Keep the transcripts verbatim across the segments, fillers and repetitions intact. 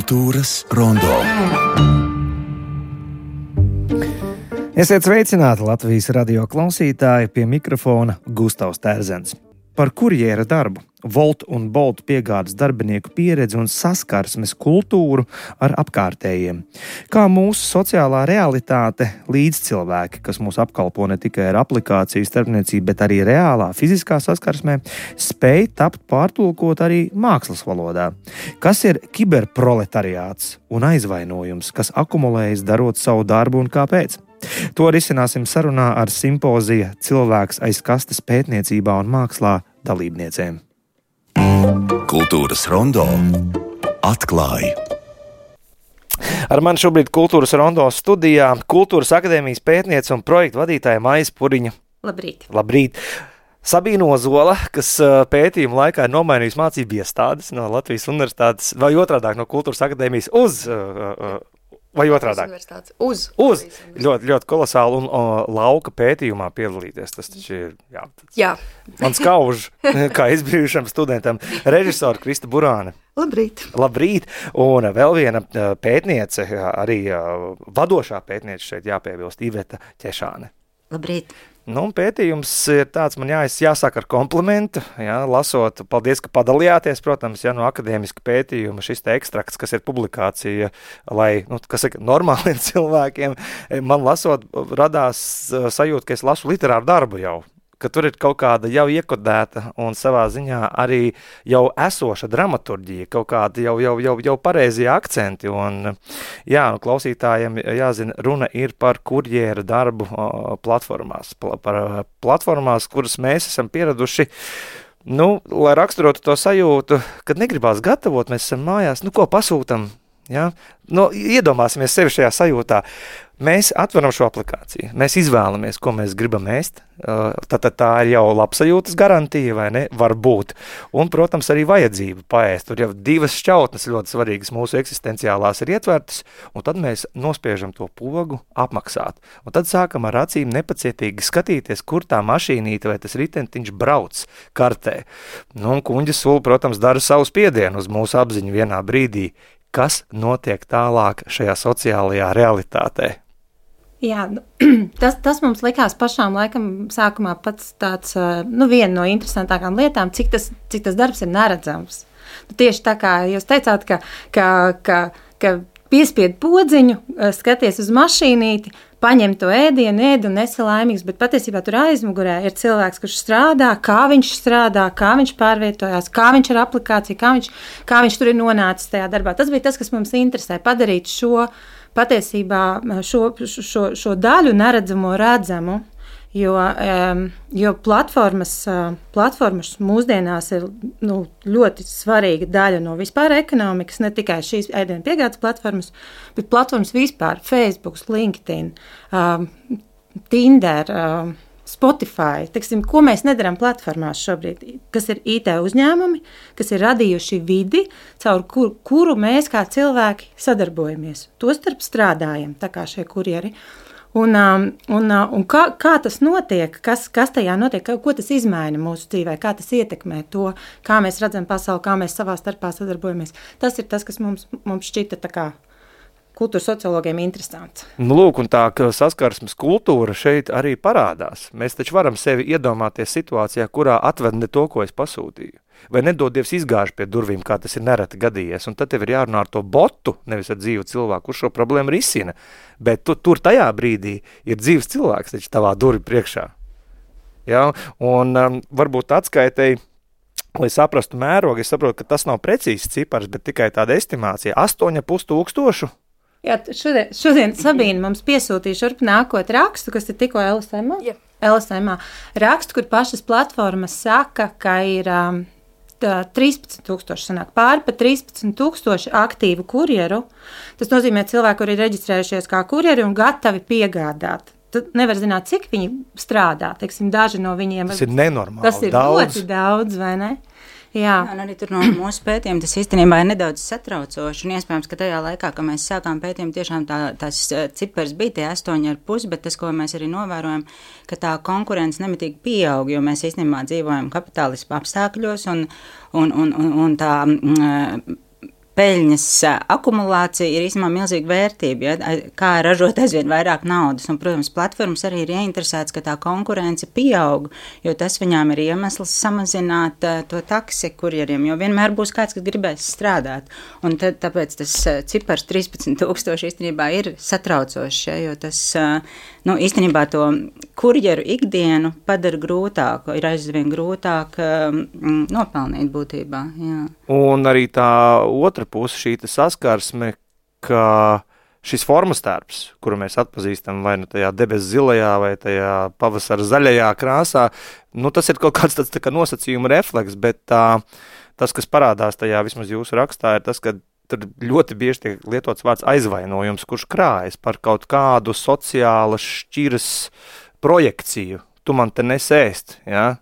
Kultūras rondo. Esiet sveicināti Latvijas radio klausītāji, pie mikrofona Gustavs Terzens. Par kurjera darbu, Wolt un Bolt piegādes darbinieku pieredzi un saskarsmes kultūru ar apkārtējiem. Kā mūsu sociālā realitāte līdzcilvēki, kas mūs apkalpo ne tikai ar aplikāciju starpniecību, bet arī reālā fiziskā saskarsmē, spēj tapt pārtulkot arī mākslas valodā. Kas ir kiberproletariāts un aizvainojums, kas akumulējas darot savu darbu un kāpēc? To risināsim sarunā ar simpozija Cilvēks aiz kastes pētniecībā un mākslā dalībniecēm. Kultūras rondo atklāja. Ar mani šobrīd Kultūras rondo studijā Kultūras akadēmijas pētniece un projektu vadītāja Maija Spuriņa. Labrīt. Labrīt. Sabīna Ozola, kas pētījuma laikā ir nomainījusi mācību iestādes no Latvijas universitātes vai otrādāk no Kultūras akadēmijas uz... Uh, Vai otrādāk? Uz. Uz. Ļoti, ļoti kolosāli un o, lauka pētījumā piedalīties. Tas taču ir, jā. Tas jā. Mans kauž, kā izbrīvušam studentam, režisora Krista Burāne. Labrīt. Labrīt. Un vēl viena pētniece, arī vadošā pētniece šeit jāpiebilst, Iveta Ķešāne. Labrīt. Nu, pētījums ir tāds, man jā, jāsāk ar komplimentu, jā, lasot, paldies, ka padalījāties, protams, jā, no akadēmiska pētījuma šis te ekstrakts, kas ir publikācija, lai, nu, kas ir normāliem cilvēkiem, man lasot, radās sajūta, ka es lasu literāru darbu jau, ka tur ir kaut kāda jau iekodēta un savā ziņā arī jau esoša dramaturģija, kaut kāda jau, jau, jau, jau pareizie akcenti. Un, jā, nu, klausītājiem jāzina, runa ir par kurjera darbu o, platformās, pl- par platformās, kuras mēs esam pieraduši, nu, lai raksturotu to sajūtu, kad negribās gatavot, mēs esam mājās, nu, ko pasūtam, jā? Nu, iedomāsimies sevi šajā sajūtā. Mēs atveram šo aplikāciju, mēs izvēlamies, ko mēs gribam ēst, tad tā ir jau labsajūtas garantija, vai ne, var būt, un, protams, arī vajadzība paēst, tur jau divas šķautnes ļoti svarīgas mūsu eksistenciālās ir ietvertas, un tad mēs nospiežam to pogu apmaksāt, un tad sākam ar acīm nepacietīgi skatīties, kur tā mašīnīte vai tas ritentiņš brauc kartē, nu, un kuņģa sula, protams, dara savu spiedienu uz mūsu apziņu vienā brīdī, kas notiek tālāk šajā sociālajā realitātē. Jā, tas, tas mums likās pašām laikam sākumā pats tāds, nu, viena no interesantākām lietām, cik tas, cik tas darbs ir neredzams. Nu, tieši tā kā jūs teicāt, ka, ka, ka, ka piespied podziņu, skaties uz mašīnīti, paņem to ēdienu, ēd un esi laimīgs, bet patiesībā tur aizmugurē ir cilvēks, kurš strādā, kā viņš strādā, kā viņš pārvietojās, kā viņš ar aplikāciju, kā viņš, kā viņš tur ir nonācis tajā darbā. Tas bija tas, kas mums interesē, padarīt šo patiesībā šo, šo, šo daļu neredzamo redzamu, jo, um, jo platformas, uh, platformas mūsdienās ir nu, ļoti svarīga daļa no vispār ekonomikas, ne tikai šīs ēdienu piegādes platformas, bet platformas vispār, Facebook, LinkedIn, um, Tinder, um, Spotify, teksim, ko mēs nedaram platformās šobrīd, kas ir I T uzņēmumi, kas ir radījuši vidi, caur kur, kuru mēs kā cilvēki sadarbojamies. Tostarp strādājam, tā kā šie kurjeri. Un, un, un kā, kā tas notiek, kas, kas tajā notiek, ko tas izmaina mūsu dzīvē, kā tas ietekmē to, kā mēs redzam pasauli, kā mēs savā starpā sadarbojamies. Tas ir tas, kas mums, mums šķita tā kā kultūras sociologiem interesants. Nu, lūk, un tā saskarsmes kultūra šeit arī parādās. Mēs taču varam sevi iedomāties situācijā, kurā atved ne to, ko es pasūtīju. Vai nedod Dievs izgāž pie durvīm, kā tas ir nereti gadījies. Un tad tev ir jārunā ar to botu, nevis ar dzīvu cilvēku, kurš šo problēmu risina. Bet tu, tur tajā brīdī ir dzīves cilvēks taču tavā durvi priekšā. Ja? Un um, varbūt atskaitēji, lai saprastu mērogu, es saprotu, ka tas nav precīzs cipars, bet tikai tāda estimācija. astoņi pus tūkstošu. Jā, šodien, šodien Sabīna mums piesūtīja šurp nākot rakstu, kas ir tikko L S M-ā. Jā. L S M-ā. Rakstu, kur pašas platformas saka, ka ir um, trīspadsmit tūkstoši, sanāk pāri pa trīspadsmit tūkstoši aktīvu kurjeru. Tas nozīmē cilvēki, kuri ir reģistrējušies kā kurjeri un gatavi piegādāt. Tad nevar zināt, cik viņi strādā. Teiksim, daži no viņiem... Tas ir nenormāli daudz. Tas ir daudz. ļoti daudz, vai ne? Jā. Un arī tur no mūsu pētījuma tas īstenībā ir nedaudz satraucoši, un iespējams, ka tajā laikā, kad mēs sākām pētījumu, tiešām tā, tās cipars bija tie astoņi ar pus, bet tas, ko mēs arī novērojam, ka tā konkurence nemitīgi pieaug, jo mēs īstenībā dzīvojam kapitālismu apstākļos, un, un, un, un, un tā peļņas akumulācija ir īstenībā milzīga vērtība, ja? Kā ražot aizvien vairāk naudas. Un, protams, platformas arī ir ieinteresētas, ka tā konkurence pieaug, jo tas viņām ir iemesls samazināt uh, to taksi kurjeriem, jo vienmēr būs kāds, kas gribēs strādāt. Un tad, tāpēc tas uh, cipars trīspadsmit tūkstoši īstenībā ir satraucošs, ja? Jo tas uh, nu, īstenībā to kurjeru ikdienu padara grūtāku, ir aizvien grūtāk um, nopelnīt būtībā. Jā. Un arī tā otra puse, šī saskarsme, ka šis formas tērps, kuru mēs atpazīstam vai nu tajā debesu zilajā vai tajā pavasara zaļajā krāsā, nu tas ir kaut kāds tāds tā kā nosacījuma refleks, bet tā, tas, kas parādās tajā vismaz jūsu rakstā, ir tas, ka tur ļoti bieži tiek lietots vārds aizvainojums, kurš krājas par kaut kādu sociālas šķiras projekciju. Tu man te nesēst, ja?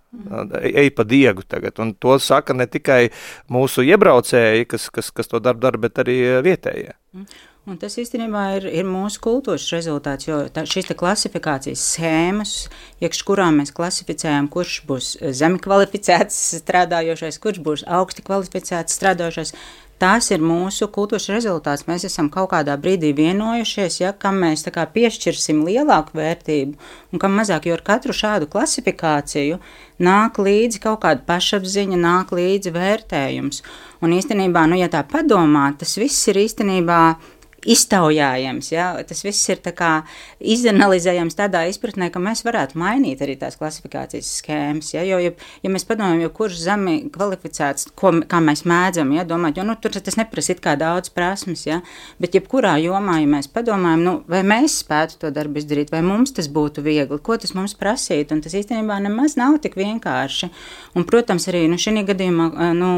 Ej pa diegu tagad. Un to saka ne tikai mūsu iebraucēji, kas, kas, kas to darbu dara, bet arī vietējie. Un tas īstenībā ir, ir mūsu kultūras rezultāts, jo tā, šīs te klasifikācijas schēmas, iekš kurām mēs klasificējam, kurš būs zemi kvalificēts strādājošais, kurš būs augsti kvalificēts strādājošais, tās ir mūsu kultūras rezultāts. Mēs esam kaut kādā brīdī vienojušies, ja, kam mēs tā kā piešķirsim lielāku vērtību un kam mazāk, jo ar katru šādu klasifikāciju nāk līdzi kaut kāda pašapziņa, nāk līdzi vērtējums. Un īstenībā, nu, ja tā padomā, tas viss ir īstenībā iztaujājams, ja? Tas viss ir tā kā izanalizējams tādā izpratnē, ka mēs varētu mainīt arī tās klasifikācijas schēmas, ja? Jo, ja, ja mēs padomājam, jo kurš zemi kvalificēts, ko, kā mēs mēdzam, ja? Domāt, jo nu, tur tas neprasa it kā daudz prasmes, ja? Bet jebkurā jomā, ja mēs padomājam, nu, vai mēs spētu to darbu izdarīt, vai mums tas būtu viegli, ko tas mums prasītu, un tas īstenībā nemaz nav tik vienkārši. Un, protams, arī, nu, šī gadījumā, nu,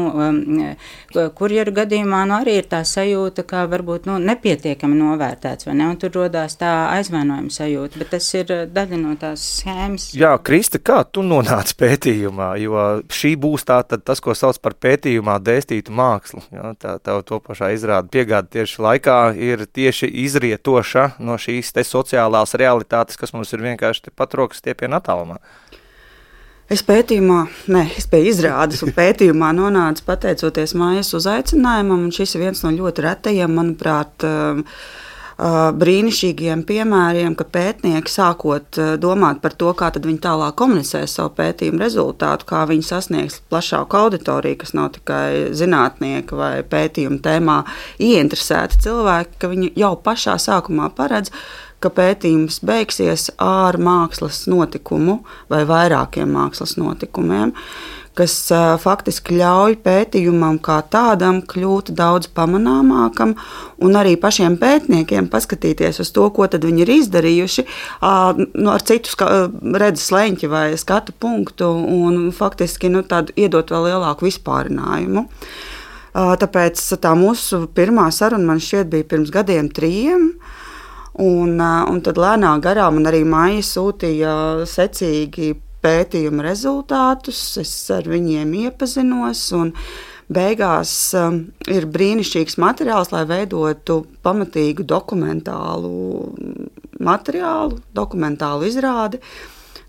kurjeru gadījumā, nu, arī ir tā sajūta, ka varbūt, nu, nepie pietiekami novērtēts, vai ne? Un tur rodās tā aizvainojuma sajūta, bet tas ir daļa no tās schēmas. Jā, Krista, kā tu nonāci pētījumā? Jo šī būs tā, tad tas, ko sauc par pētījumā dēstītu mākslu. Jā, tā, tā to pašā izrāda piegāda tieši laikā ir tieši izrietoša no šīs te sociālās realitātes, kas mums ir vienkārši pat rokas stiepiena attālumā. Es pētījumā, ne, es pie izrādes un pētījumā nonācu pateicoties mājas uzaicinājumam, un šis ir viens no ļoti retajiem, manuprāt, brīnišķīgiem piemēriem, ka pētnieki sākot domāt par to, kā tad viņi tālāk komunicē savu pētījumu rezultātu, kā viņi sasniegs plašāku auditoriju, kas nav tikai zinātnieki vai pētījumu tēmā ieinteresēti cilvēki, ka viņi jau pašā sākumā paredz, ka pētījums beigsies ar mākslas notikumu vai vairākiem mākslas notikumiem, kas uh, faktiski ļauj pētījumam kā tādam kļūt daudz pamanāmākam un arī pašiem pētniekiem paskatīties uz to, ko tad viņi ir izdarījuši uh, nu, ar citu ska- redzes leņķi vai skatu punktu un faktiski nu, tādu iedot vēl lielāku vispārinājumu. Uh, tāpēc tā mūsu pirmā saruna man šķiet bija pirms gadiem trījiem. Un, un tad lēnā garā man arī Maija sūtīja secīgi pētījuma rezultātus, es ar viņiem iepazinos, un beigās um, ir brīnišķīgs materiāls, lai veidotu pamatīgu dokumentālu materiālu, dokumentālu izrādi.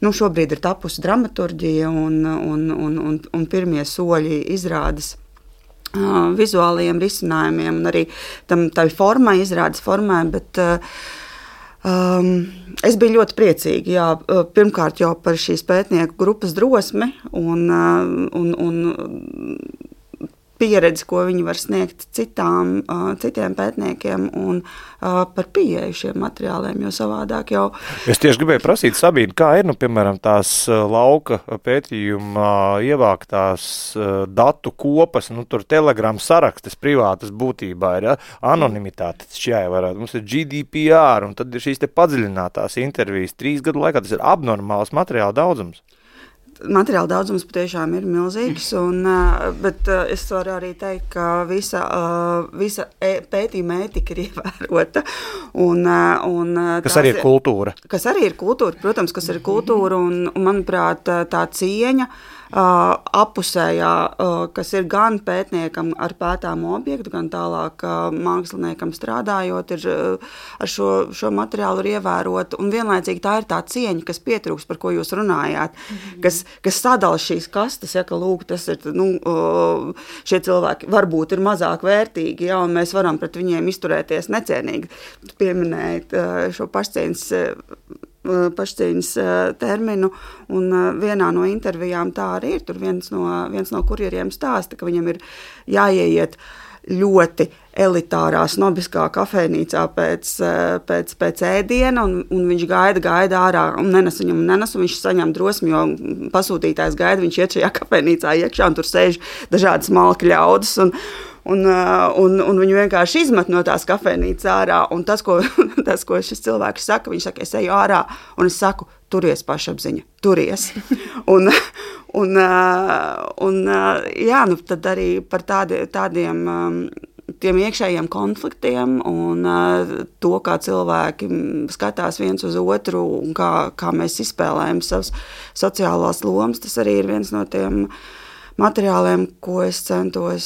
Nu, šobrīd ir tapusi dramaturģija un, un, un, un, un pirmie soļi izrādes Uh, vizuālajiem risinājumiem un arī tam tai formai, izrādes formai, bet uh, um, es biju ļoti priecīga, jā, pirmkārt jau par šīs pētnieku grupas drosmi un, uh, un, un pieredzi, ko viņi var sniegt citām, uh, citiem pētniekiem un uh, par pieeju šiem materiāliem, jo savādāk jau... Es tieši gribēju prasīt, Sabīne, kā ir, nu, piemēram, tās lauka pētījuma ievāktās uh, datu kopas, nu, tur telegramu sarakstes privātas būtībā ir, ja? Anonimitāte, tas jāievarētu. Mums ir G D P R, un tad ir šīs te padziļinātās intervijas trīs gadu laikā, tas ir abnormāls materiāla daudzums. Materiāla daudzums patiešām ir milzīgs, un, bet es varu arī teikt, ka visa, visa pētījuma ētika ir ievērota. Un, un, kas arī ir kultūra. Kas arī ir kultūra, protams, kas ir kultūra, un, un manuprāt, tā cieņa uh, apusējā, uh, kas ir gan pētniekam ar pētāmu objektu, gan tālāk uh, māksliniekam strādājot, ir uh, ar šo, šo materiālu ir ievērot, un vienlaicīgi tā ir tā cieņa, kas pietrūks, par ko jūs runājāt, mm-hmm. kas, kas sadala šīs kastes, ja, ka lūk, tas ir, nu, uh, šie cilvēki varbūt ir mazāk vērtīgi, ja, un mēs varam pret viņiem izturēties necienīgi. Pieminējot šo pašcieņas, pašcieņas terminu, un vienā no intervijām tā arī ir. Tur viens no, viens no kurjeriem stāsta, ka viņam ir jāieiet ļoti elitārā, snobiskā kafejnīcā pēc, pēc, pēc ēdiena, un, un viņš gaida, gaida ārā, un nenes viņam, nenes, un viņš saņem drosmi, jo pasūtītājs gaida, viņš iet šajā kafejnīcā iekšā, un tur sēž dažādas malki ļaudis, un Un, un, un viņu vienkārši izmet no tās kafejnīcas ārā. Un tas, ko, tas, ko šis cilvēks saka, viņš saka, es eju ārā, un es saku, turies pašapziņa, turies. un, un, un, jā, nu, tad arī par tādi, tādiem tiem iekšējiem konfliktiem un to, kā cilvēki skatās viens uz otru un kā, kā mēs izspēlējam savas sociālās lomas, tas arī ir viens no tiem materiāliem, ko es centos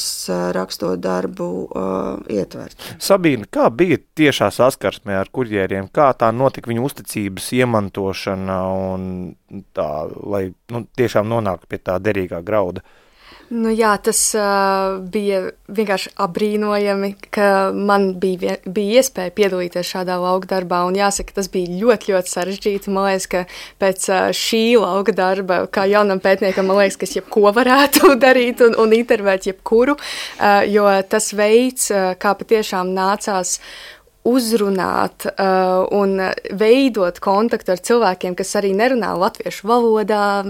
rakstot darbu uh, ietvert. Sabīne, kā bija tiešā saskarsmē ar kurjeriem? Kā tā notika viņu uzticības iemantošana un tā, lai nu, tiešām nonāktu pie tā derīgā grauda? Nu jā, tas uh, bija vienkārši apbrīnojami, ka man bija, bija iespēja piedalīties šādā lauka darbā, un jāsaka, tas bija ļoti, ļoti sarežģīti. Man liekas, ka pēc uh, šī lauka darba, kā jaunam pētniekam, man liekas, ka es jebko varētu darīt un, un intervēt jebkuru, uh, jo tas veids, uh, kā patiešām nācās uzrunāt uh, un veidot kontaktu ar cilvēkiem, kas arī nerunā latviešu valodā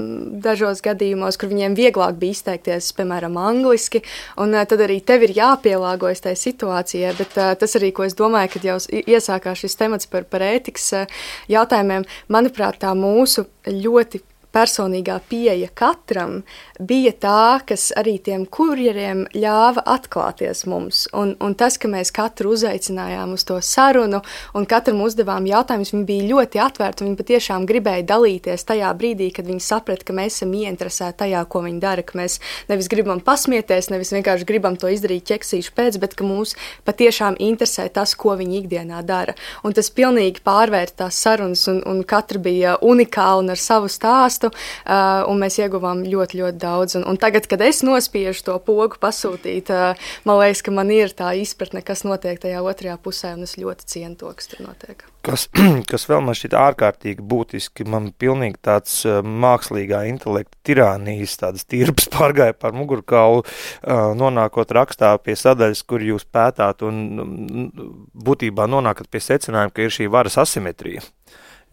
dažos gadījumos, kur viņiem vieglāk bija izteikties, piemēram, angliski, un uh, tad arī tev ir jāpielāgojas tai situācijai, bet uh, tas arī, ko es domāju, kad jau iesākās šis temats par, par ētikas uh, jautājumiem, manuprāt, tā mūsu ļoti personīgā pieeja katram bija tā, kas arī tiem kurjeriem ļāva atklāties mums. Un, un tas, ka mēs katru uzaicinājām uz to sarunu un katram uzdevām jautājumus, viņi bija ļoti atvērti un viņi patiešām gribēja dalīties tajā brīdī, kad viņi saprata, ka mēs esam ieinteresēti tajā, ko viņi dara, ka mēs nevis gribam pasmieties, nevis vienkārši gribam to izdarīt ķeksīšu pēc, bet ka mūs patiešām interesē tas, ko viņi ikdienā dara. Un tas pilnīgi pārvērta tās sarunas un, un katra bija unikāla un ar savu stāstu. Uh, un mēs ieguvām ļoti, ļoti daudz. Un, un tagad, kad es nospiežu to pogu pasūtīt, uh, man liekas, ka man ir tā izpratne, kas notiek tajā otrajā pusē, un es ļoti cienu to, kas tur notiek. Kas, kas vēl man šķiet ārkārtīgi būtiski, man pilnīgi tāds uh, mākslīgā intelekta tirānijas, tādas tirpas pārgāja par mugurkaulu, uh, nonākot rakstā pie sadaļas, kur jūs pētāt, un būtībā nonākat pie secinājuma, ka ir šī varas asimetrija.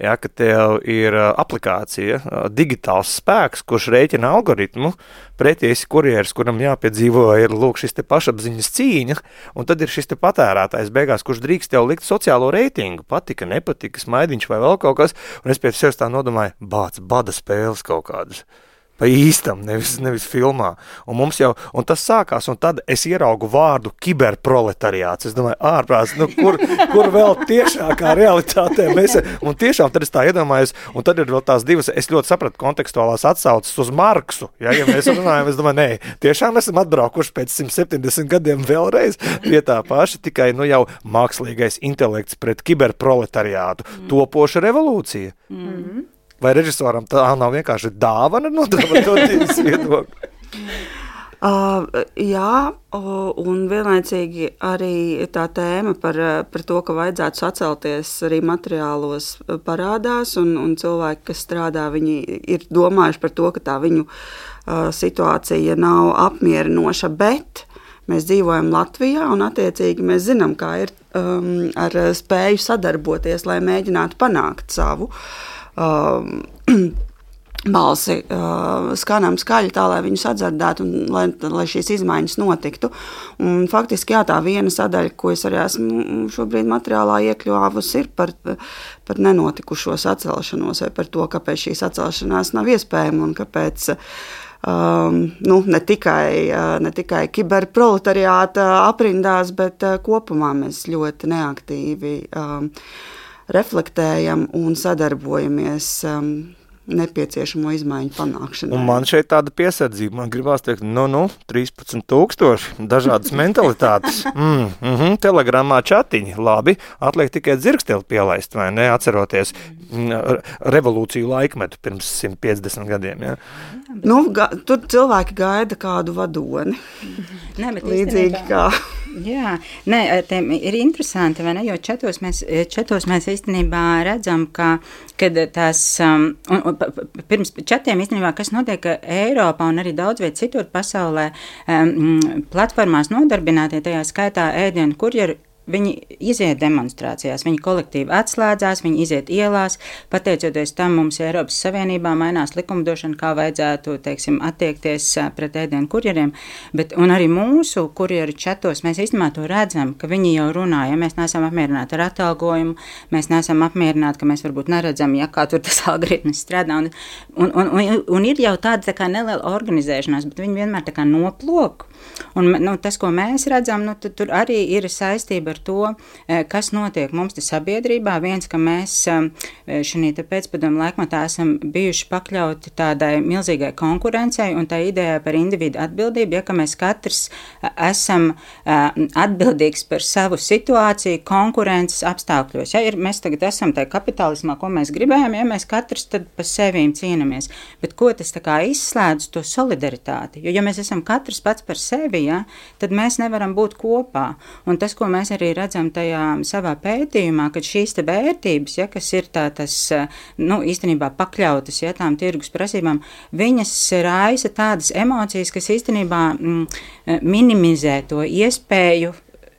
Ja, ka tev ir aplikācija, digitāls spēks, kurš rēķina algoritmu, pretī esi kurjeris, kuram jāpiedzīvo ir lūk šis te pašapziņas cīņa, un tad ir šis te patērētājs beigās, kurš drīkst tev likt sociālo reitingu, patika, nepatika, smaidiņš vai vēl kaut kas, un es pēc sevis tā nodomāju, bāc, bada spēles kaut kādas. Pa īstam, nevis, nevis filmā. Un mums jau, un tas sākās, un tad es ieraugu vārdu kiberproletariāts. Es domāju, ārprāts, nu, kur, kur vēl tiešākā realitātē mēs, un tiešām tad es tā iedomājos, un tad ir vēl tās divas, es ļoti sapratu kontekstuālās atsaucas uz Marksu, ja, ja mēs runājam, es domāju, nē, tiešām esam atbraukuši pēc simt septiņdesmit gadiem vēlreiz pie tā paša, tikai, nu, jau mākslīgais intelekts pret kiberproletariātu, mm. topoša revolūcija. Mm. Vai režisoram tā nav vienkārši dāvana no dramaturģijas viedokļa? Uh, jā, un vienlaicīgi arī tā tēma par, par to, ka vajadzētu sacelties arī materiālos parādās, un, un cilvēki, kas strādā, viņi ir domājuši par to, ka tā viņu uh, situācija nav apmierinoša, bet mēs dzīvojam Latvijā, un attiecīgi mēs zinām, kā ir um, ar spēju sadarboties, lai mēģinātu panākt savu Um, balsi uh, skanam skaļi tā, lai viņus atdzirdētu un lai, lai šīs izmaiņas notiktu. Un faktiski jā, tā viena sadaļa, ko es arī esmu šobrīd materiālā iekļuvusi, ir par, par nenotikušo sacelšanos vai par to, kāpēc šī sacelšanās nav iespējama un kāpēc um, nu, ne tikai, uh, ne tikai kiberproletariāta aprindās, bet uh, kopumā mēs ļoti neaktīvi um, reflektējam un sadarbojamies um, nepieciešamo izmaiņu panākšanai. Un man šeit tāda piesardzība, man gribās teikt, nu, nu, trīspadsmit tūkstoši, dažādas mentalitātes, mm, mm, telegramā čatiņi, labi, atliek tikai dzirksteli pielaist, vai ne, atceroties mm, revolūciju laikmetu pirms simt piecdesmit gadiem, ja? Nu, ga, tur cilvēki gaida kādu vadoni, Nē, bet līdzīgi īstenībā- kā... Jā, nē, tiem ir interesanti, vai ne, jo čatos mēs, čatos mēs īstenībā redzam, ka, kad tās, um, un, un, pirms čatiem īstenībā, kas notiek Eiropā un arī daudz viet citur pasaulē, um, platformās nodarbinātie, tajā skaitā ēdienu kurjeru, viņi iziet demonstrācijās, viņi kolektīvi atslēdzās, viņi iziet ielās, pateicoties tam mums Eiropas Savienībā mainās likumdošana, kā vajadzētu, teiksim, attiekties pret ēdienu kurjeriem, bet, un arī mūsu kurjeru čatos mēs īstenībā to redzam, ka viņi jau runā, ja mēs neesam apmierināti ar atalgojumu, mēs neesam apmierināti, ka mēs varbūt neredzam, ja kā tur tas algoritms strādā, un, un, un, un, un ir jau tāda tā kā neliela organizēšanās, bet viņi vienmēr tā kā noplok, un nu, tas, ko mēs redzam, nu, tur arī ir saistība ar to, kas notiek mums te sabiedrībā. Viens, ka mēs šī te pēcpadomu laikmatā esam bijuši pakļauti tādai milzīgai konkurencei un tā ideja par individu atbildību, ja ka mēs katrs esam atbildīgs par savu situāciju konkurences apstākļos. Ja, ir, mēs tagad esam tajā kapitālismā, ko mēs gribējam, ja mēs katrs tad pa sevīm cīnamies. Bet ko tas tā kā izslēdz to solidaritāti? Jo, ja mēs esam katrs pats par sevi, ja, tad mēs nevaram būt kopā. Un tas, ko mēs arī redzam tajā savā pētījumā, ka šīs te vērtības, ja, kas ir tā, tas, nu, īstenībā pakļautas, ja, tām tirgus prasībām, viņas raisa tādas emocijas, kas īstenībā mm, minimizē to iespēju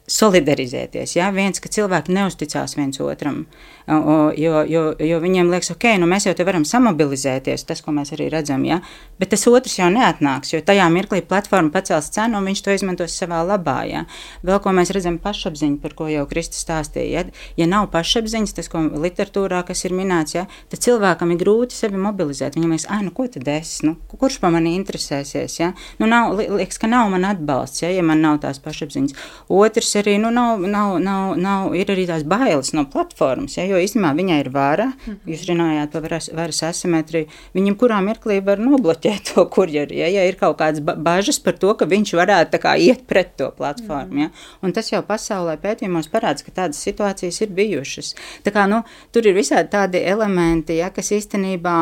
solidarizēties, ja, viens, ka cilvēki neusticās viens otram, jo, jo, jo viņiem liekas, ok, nu mēs jau te varam samobilizēties, tas, ko mēs arī redzam, ja, bet tas otrs jau neatnāks, jo tajā mirklī platforma pacels cenu un viņš to izmantos savā labā, ja. Vēl, ko mēs redzam pašapziņu, par ko jau Krista stāstīja, ja, ja nav pašapziņas, tas, ko literatūrā, kas ir minēts, ja, tad cilvēkam ir grūti sevi mobilizēt, viņam liekas, ai, nu, ko tad es, nu, kurš pa mani interesēsies, ja, nu, nav, liekas, ka nav man atbalsts, ja, ja man nav tās pašapziņas. Otrs arī, nu, nav, nav, nav, nav, ir arī tās bailes no platformas, ja, jo īstenībā viņai ir vara, jūs runājāt par varas, varas asimetriju, viņam kurā mirklī var nobloķēt to kurjeri, ja, ja ir kaut kādas bažas par to, ka viņš varētu tā kā iet pret to platformu, ja, un tas jau pasaulē pētījumos parāds, ka tādas situācijas ir bijušas. Tā kā, nu, tur ir visādi tādi elementi, ja, kas īstenībā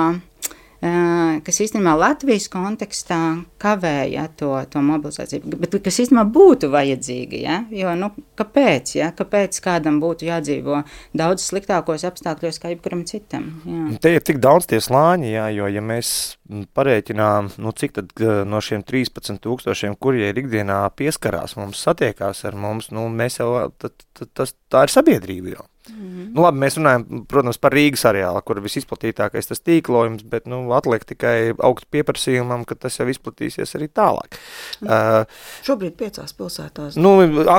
kas īstenībā Latvijas kontekstā kavēja to, to mobilizāciju, bet kas īstenībā būtu vajadzīgi, ja? Jo, nu, kāpēc, ja? Kāpēc kādam būtu jādzīvo daudz sliktākos apstākļos kā jebkuram citam? Jā. Te ir tik daudz tie slāņi, jā, jo, ja mēs parēķinām, nu, cik tad no šiem trīspadsmit tūkstošiem, kurie ir ikdienā pieskarās mums, satiekās ar mums, nu, mēs jau, tad, tad, tas, tā ir sabiedrība jau. Mm-hmm. Nu, labi, mēs runājam, protams, par Rīgas areālu, kur visizplatītākais tas tīklojums, bet, nu, atliek tikai augt pieprasījumam, ka tas jau izplatīsies arī tālāk. Mm. Uh, Šobrīd piecās pilsētās. Nu,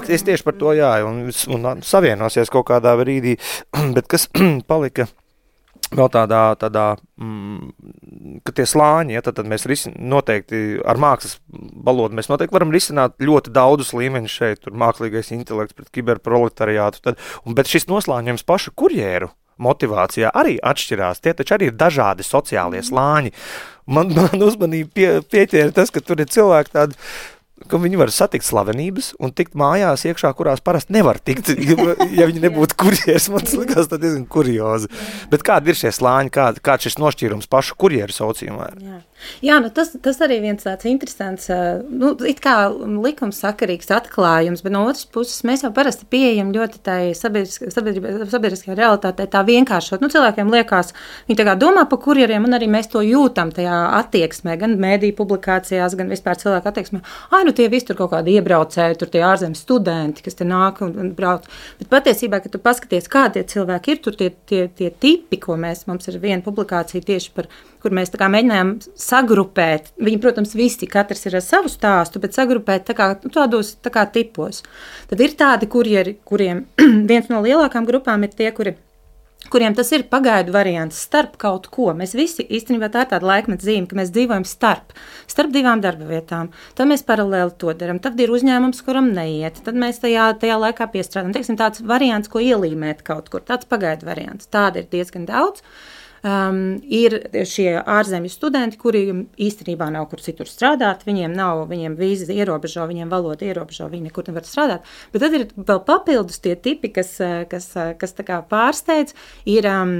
es tieši par to, jā, un, un savienosies kaut kādā brīdī, bet kas palika vēl tādā, tādā mm, ka tie slāņi, ja, tad, tad mēs risin, noteikti ar mākslas valodu mēs noteikti varam risināt ļoti daudzus līmeņus šeit, tur mākslīgais intelekts pret kiberproletariātu, tad, un, bet šis noslāņojums pašu kurjēru motivācijā arī atšķirās, tie taču arī ir dažādi sociālie slāņi. Man, man uzmanību pie, pieķēra tas, ka tur ir cilvēki tādi, ka viņi var satikt slavenības un tikt mājās iekšā, kurās parasti nevar tikt, ja, ja viņi nebūtu kurjers. Man tas likās tā diezgan kuriozi. Bet kādi ir šie slāņi, kād, kāds šis nošķīrums pašu kurjeru saucījumā? Jā, Jā nu tas, tas arī viens tāds interesants, nu, it kā likumsakarīgs atklājums, bet no otras puses mēs jau parasti pieejam ļoti tai sabiedriskajā realitātei tā vienkāršot. Nu, cilvēkiem liekas, viņi tā kā domā par kurjeriem, un arī mēs to jūtam tajā attieksmē, gan mēdīju publikācijās, gan vispār cilvēku attieksmē. Ai, nu tie visi tur kaut kādi iebraucēji, tur tie ārzemes studenti, kas te nāk un, un brauc. Bet patiesībā, kad tu paskaties, kā tie cilvēki ir, tur tie, tie, tie tipi, ko mēs, mums ir viena publikācija tieši par, kur mēs tā kā mēģinājām sagrupēt. Viņi, protams, visi, katrs ir ar savu stāstu, bet sagrupēt tā kā, tādos tā kā tipos. Tad ir tādi kurjeri, kuriem viens no lielākām grupām ir tie, kuri kuriem tas ir pagaidu variants starp kaut ko. Mēs visi īstenībā tā ir tāda laikmeta zīme, ka mēs dzīvojam starp, starp divām darba vietām. Tad mēs paralēli to darām. Tad ir uzņēmums, kuram neiet. Tad mēs tajā, tajā laikā piestrādājam. Teiksim, tāds variants, ko ielīmēt kaut kur. Tāds pagaidu variants. Tāda ir diezgan daudz. Um, ir šie ārzemju studenti, kuri īstenībā nav kur citur strādāt, viņiem nav, viņiem vīza ierobežo, viņiem valoda ierobežo, viņi nekur nevar strādāt, bet tad ir vēl papildus tie tipi, kas, kas, kas tā kā pārsteidz, ir, um,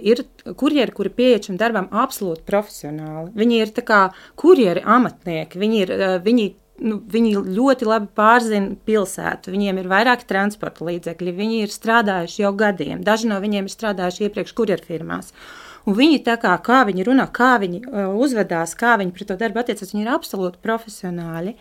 ir kurjeri, kuri pieiet šim darbam absolūti profesionāli. Viņi ir tā kā kurjeri amatnieki, viņi ir, viņi Nu, viņi ļoti labi pārzina pilsētu, viņiem ir vairāki transporta līdzekļi, viņi ir strādājuši jau gadiem, daži no viņiem ir strādājuši iepriekš kurjerfirmās. Un viņi tā kā, kā viņi runā, kā viņi uh, uzvedās, kā viņi pret to darbu attiecas, viņi ir absolūti profesionāli.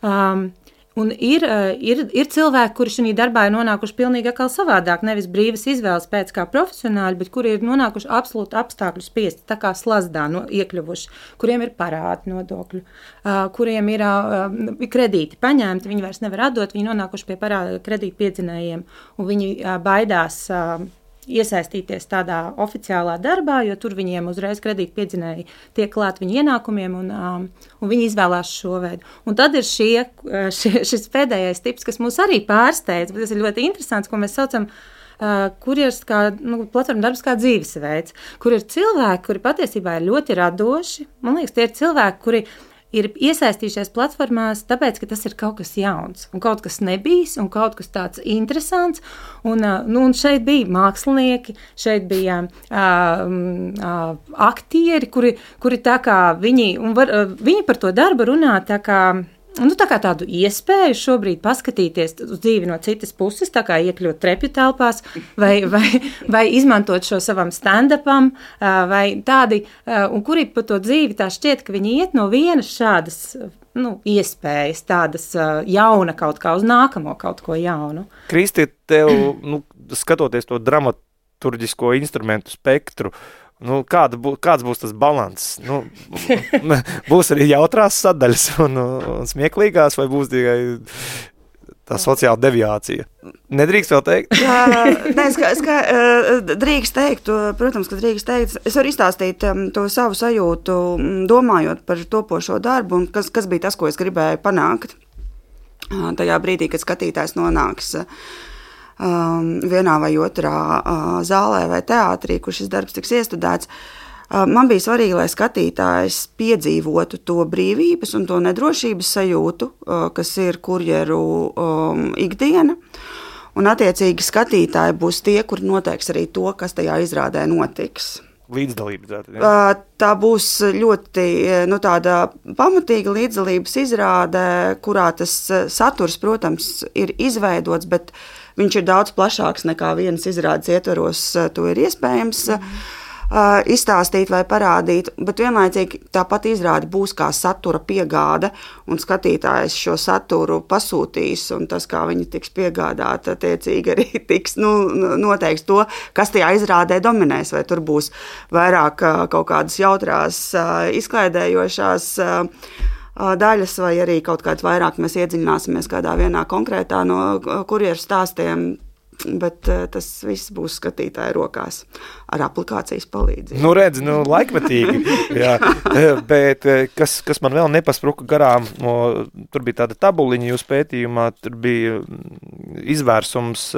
Um, un ir, uh, ir, ir cilvēki, kuri šajā darbā ir nonākuši pilnīgi atkal savādāk, nevis brīvas izvēles pēc kā profesionāļi, bet kuri ir nonākuši absolūti apstākļu spiesti, tā kā slazdā no, iekļuvuši, kuriem ir parādi nodokļu, uh, kuriem ir uh, kredīti paņemti, viņi vairs nevar atdot, viņi nonākuši pie parāda kredītu piedzinējiem, un viņi uh, baidās uh, iesaistīties tādā oficiālā darbā, jo tur viņiem uzreiz kredīti piedzinēji tiek klāt viņu ienākumiem, un, um, un viņi izvēlās šo veidu. Un tad ir šie, šie, šis pēdējais tips, kas mūs arī pārsteidz, bet tas ir ļoti interesants, ko mēs saucam Uh, kurjers kā, nu, platforma darbs kā dzīvesveids, kur ir cilvēki, kuri patiesībā ir ļoti radoši. Man liekas, tie ir cilvēki, kuri ir iesaistījušies platformās, tāpēc, ka tas ir kaut kas jauns, un kaut kas nebijis, un kaut kas tāds interesants. Un, uh, nu, un šeit bija mākslinieki, šeit bija uh, uh, aktieri, kuri, kuri tā kā viņi, un var, uh, viņi par to darbu runā tā kā, nu, tā kā tādu iespēju šobrīd paskatīties uz dzīvi no citas puses, tā kā iekļūt trepju telpās, vai, vai, vai izmantot šo savam stand-upam, vai tādi, un kuri pa to dzīvi tā šķiet, ka viņi iet no vienas šādas, nu, iespējas, tādas jauna kaut kā uz nākamo kaut ko jaunu. Kristi, tev, nu, skatoties to dramaturģisko instrumentu spektru, Nu, kāda bū, kāds būs tas balans? Nu, būs arī jautrās sadaļas un, un smieklīgās, vai būs tikai tā sociāla deviācija? Nedrīkst vēl teikt? Jā, ne, ska, ska, drīkst teikt, protams, ka drīkst teikt. Es varu izstāstīt to savu sajūtu, domājot par topošo darbu, un kas, kas bija tas, ko es gribēju panākt tajā brīdī, kad skatītājs nonāks Um, vienā vai otrā uh, zālē vai teātrī, kur šis darbs tiks iestudēts. Uh, man bija svarīgi, lai skatītājs piedzīvotu to brīvības un to nedrošības sajūtu, uh, kas ir kurjeru um, ikdiena. Un attiecīgi skatītāji būs tie, kuri noteiks arī to, kas tajā izrādē notiks. Līdzdalība. Uh, tā būs ļoti nu, tāda pamatīga līdzdalības izrāde, kurā tas saturs, protams, ir izveidots, bet viņš ir daudz plašāks nekā vienas izrādes ietvaros. To ir iespējams mm. uh, izstāstīt vai parādīt, bet vienlaicīgi tāpat izrāde būs kā satura piegāde, un skatītājs šo saturu pasūtīs, un tas, kā viņi tiks piegādāt, attiecīgi arī tiks, nu, noteiks to, kas tajā izrādē dominēs, vai tur būs vairāk uh, kaut kādas jautrās, uh, izklaidējošās uh, daļas, vai arī kaut kāds vairāk mēs iedziļināsimies kādā vienā konkrētā no kurjeru stāstiem, bet tas viss būs skatītāja rokās ar aplikācijas palīdzību. Nu, redz, nu, laikmetīgi, jā, bet kas, kas man vēl nepaspruka garām, no, tur bija tāda tabuliņa jūs pētījumā, tur bija izvērsums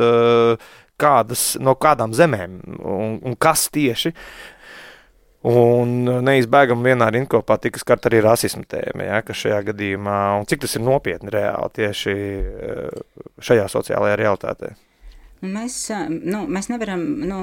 kādas, no kādām zemēm un, un kas tieši. Un neizbēgam vienā rindkopā tika skart arī rasismu tēma, ja, kas šajā gadījumā, un cik tas ir nopietni reāli tieši šajā sociālajā realitātē. Mēs, nu, mēs nevaram nu,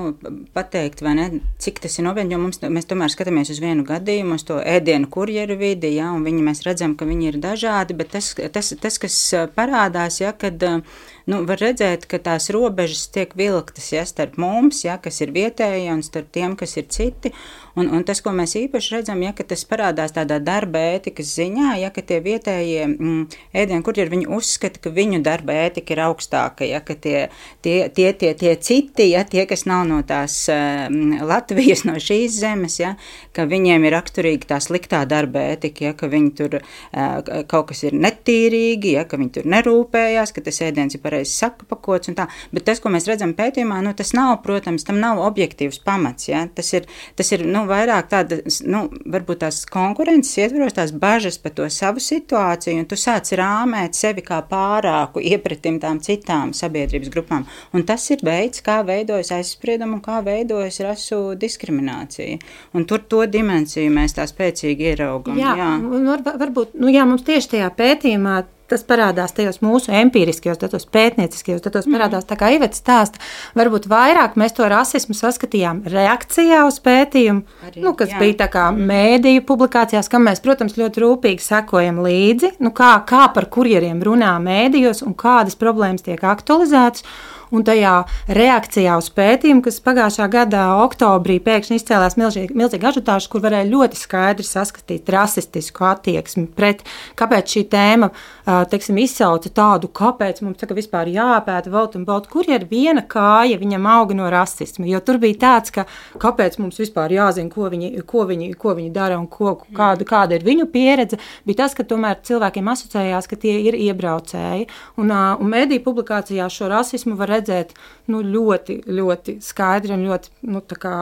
pateikt, vai ne, cik tas ir nopietni, jo mums, mēs tomēr skatāmies uz vienu gadījumu, uz to ēdienu kurjeru vidi, ja, un viņi, mēs redzam, ka viņi ir dažādi, bet tas, tas, tas kas parādās, ja, kad nu, var redzēt, ka tās robežas tiek vilktas, ja, starp mums, ja, kas ir vietēji, un starp tiem, kas ir citi, Un, un tas, ko mēs īpaši redzam, ja, ka tas parādās tādā darba ētikas ziņā, ja, ka tie vietējie mm, ēdienu kurjeri, viņi uzskata, ka viņu darba ētika ir augstāka, ja, ka tie, tie, tie, tie, tie citi, ja, tie, kas nav no tās mm, Latvijas, no šīs zemes, ja, ka viņiem ir raksturīga tā sliktā darba ētika, ja, ka viņi tur uh, kaut kas ir netīrīgi, ja, ka viņi tur nerūpējās, ka tas ēdiens ir pareizi sapakots un tā, bet tas, ko mēs redzam pētījumā, nu, tas nav, protams, tam nav objektīvs pamats, ja, tas ir, tas ir, nu, vairāk tāda, nu, varbūt tās konkurences ietvaros, tās bažas par to savu situāciju, un tu sāc rāmēt sevi kā pārāku iepratim tām citām sabiedrības grupām, un tas ir veids, kā veidojas aizspriedumu un kā veidojas rasu diskriminācija, un tur to dimensiju mēs tā spēcīgi ieraugam. Jā, jā. Var, varbūt, nu jā, mums tieši tajā pētījumā tas parādās tajos mūsu empiriskajos datos, pētnieciskajos datos, parādās tā kā Iveta stāsta. Varbūt vairāk mēs to rasismu saskatījām reakcijā uz pētījumu, Arī, nu, kas jā. bija tā kā mēdīju publikācijās, kam mēs, protams, ļoti rūpīgi sekojam līdzi, nu, kā, kā par kurjeriem runā mēdījos un kādas problēmas tiek aktualizētas. Un tajā reakcijā uz pētījumu, kas pagājušā gada oktobrī pēkšņi izcēlās milzīgi, milzīgi ažutāžu, kur varēja ļoti skaidri saskatīt rasistisku attieksmi pret, kāpēc šī tēma, teiksim, izsauca tādu, kāpēc mums tā, vispār jāpēta volt un volt, kur ir viena kāja viņam auga no rasisma, jo tur bija tāds, ka kāpēc mums vispār jāzina, ko viņi, ko viņi, ko viņi dara un ko, kāda, kāda ir viņu pieredze, bija tas, ka tomēr cilvēkiem asociējās, ka tie ir iebraucēji, un, un mediju publikācijā šo rasismu var redzēt nu, ļoti, ļoti skaidri un ļoti, nu, tā kā,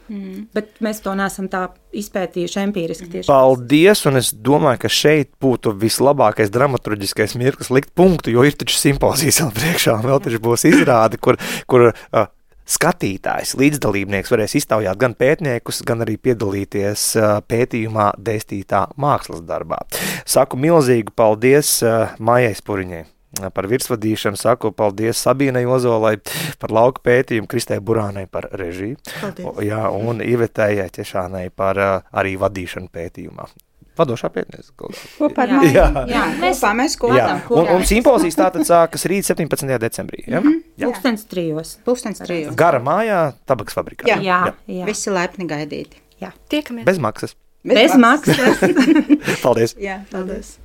mm. bet mēs to neesam tā izpētījuši empīriski tieši. Paldies, un es domāju, ka šeit būtu vislabākais dramaturģiskais mirklis likt punktu, jo ir taču simpozijas vēl priekšā, un vēl taču būs izrāde, kur, kur uh, skatītājs, līdzdalībnieks varēs iztaujāt gan pētniekus, gan arī piedalīties uh, pētījumā dēstītā mākslas darbā. Saku milzīgu paldies uh, Maijai Spuriņai par virsvadīšanu, saku paldies Sabīnai Ozolai par lauka pētījumu, Kristē Burānai par režiju, o, jā, un Ivetai Ķešānai par uh, arī vadīšanu pētījumā. Vadošā pētniece. Kopā ar jā. jā, mēs, kopā, mēs kopā. Jā, un, un simpozijas tātad sākas rīt septiņpadsmitajā decembrī. Ja? Mm-hmm. Pūkstens trijos. Pūkstens trijos. Gara mājā, Tabakas fabrikā. Jā, jā, jā. jā. Visi laipni gaidīti. Jā. Tiekamies. Bez maksas. Bez, Bez maksas. Paldies. Jā, paldies.